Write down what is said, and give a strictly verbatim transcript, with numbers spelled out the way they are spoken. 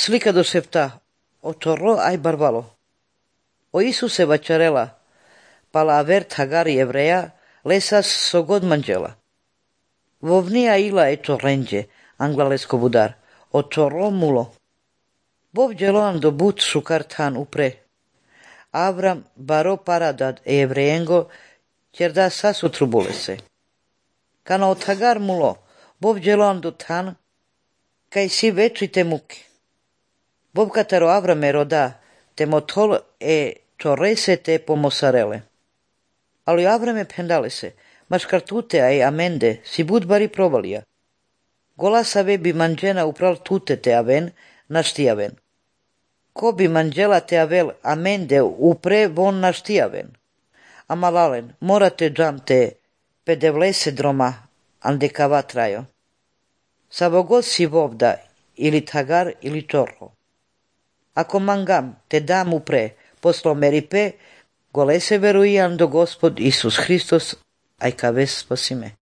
Slika do septa, o torro ai barbalo. O Isuse vačarela, pala aver Hagari evreja, lesas sogod manđela. Vovnia ila e torrenđe, anglalesko budar, o torro mulo. Bov djeloan do but šukar tan upre. Avram baro paradad e evrejengo, ćerda sasu trubulese. Kana od Hagar mulo, bov djeloan do tan, kaj si veči te muke. Bov katero Avrame roda, te motol e torrese te pomosarele. Ali Avrame pendale se, maškartute ai amende, si bud bari provalija. Gola save bi manđena upral tute te aven, naštijaven. Ko bi manđela te avel amende upre von naštijaven. Amalalen, morate džam te pedevlese droma, andekava trajo. Savogod si vovda, ili Hagar ili torro. Ako mangam te dam upre, poslo meripe, gole se verujan do Gospod Isus Hristos, aj kaves spasime.